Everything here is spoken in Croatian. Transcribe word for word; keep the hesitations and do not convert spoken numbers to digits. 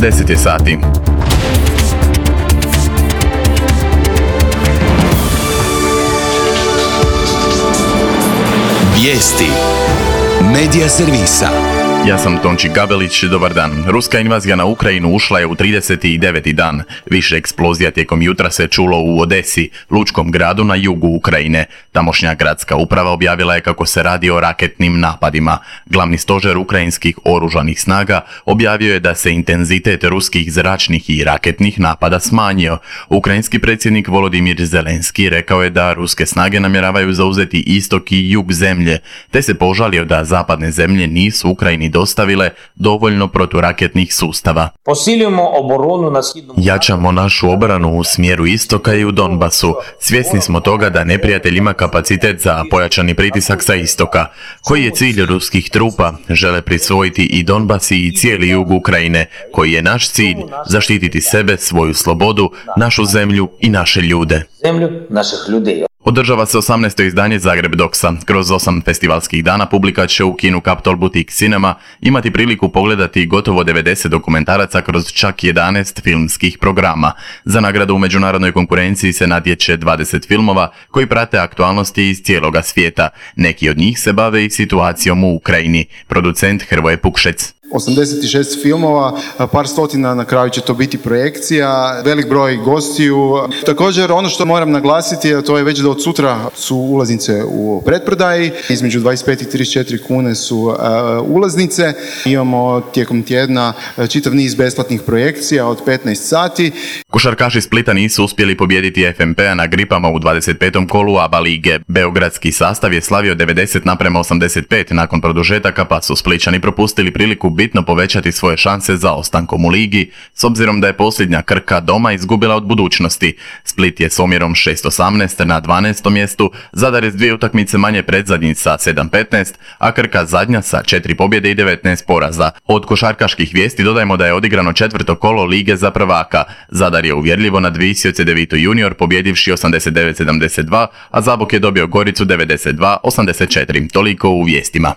deset je sati. Vijesti Medija servisa. Ja sam Tonči Gabelić, dobar dan. Ruska invazija na Ukrajinu ušla je u trideset deveti dan. Više eksplozija tijekom jutra se čulo u Odesi, lučkom gradu na jugu Ukrajine. Tamošnja gradska uprava objavila je kako se radi o raketnim napadima. Glavni stožer ukrajinskih oružanih snaga objavio je da se intenzitet ruskih zračnih i raketnih napada smanjio. Ukrajinski predsjednik Volodimir Zelenski rekao je da ruske snage namjeravaju zauzeti istok i jug zemlje, te se požalio da zapadne zemlje nisu Ukrajini dostavile dovoljno proturaketnih sustava. Jačamo našu obranu u smjeru istoka i u Donbasu. Svjesni smo toga da neprijatelj ima kapacitet za pojačani pritisak sa istoka. Koji je cilj ruskih trupa? Žele prisvojiti i Donbas i cijeli jug Ukrajine. Koji je naš cilj? Zaštititi sebe, svoju slobodu, našu zemlju i naše ljude. Održava se osamnaesto izdanje Zagreb Doksa. Kroz osam festivalskih dana publika će u kinu Capitol Boutique Cinema imati priliku pogledati gotovo devedeset dokumentaraca kroz čak jedanaest filmskih programa. Za nagradu u međunarodnoj konkurenciji se natječe dvadeset filmova koji prate aktualnosti iz cijeloga svijeta. Neki od njih se bave i situacijom u Ukrajini. Producent Hrvoje Pukšec. osamdeset šest filmova, par stotina na kraju će to biti projekcija, velik broj gostiju. Također ono što moram naglasiti, to je već da od sutra su ulaznice u pretprodaji, između dvadeset pet i trideset četiri kune su uh, ulaznice. Imamo tijekom tjedna čitav niz besplatnih projekcija od petnaest sati. Košarkaši Splita nisu uspjeli pobijediti F M P-a na Gripama u dvadeset petom kolu A B A lige. Beogradski sastav je slavio devedeset naprema osamdeset pet nakon produžetaka, pa su Splićani propustili priliku bitno povećati svoje šanse za ostankom u ligi, s obzirom da je posljednja Krka doma izgubila od budućnosti. Split je s omjerom šest osamnaest na dvanaestom mjestu, Zadar je s dvije utakmice manje predzadnji sa sedam petnaest, a Krka zadnja sa četiri pobjede i devetnaest poraza. Od košarkaških vijesti dodajemo da je odigrano četvrto kolo lige za prvaka. Zadar je uvjerljivo nadvisio Cedevitu junior pobjedivši osamdeset devet sedamdeset dva, a Zabok je dobio Goricu devedeset dva osamdeset četiri. Toliko u vijestima.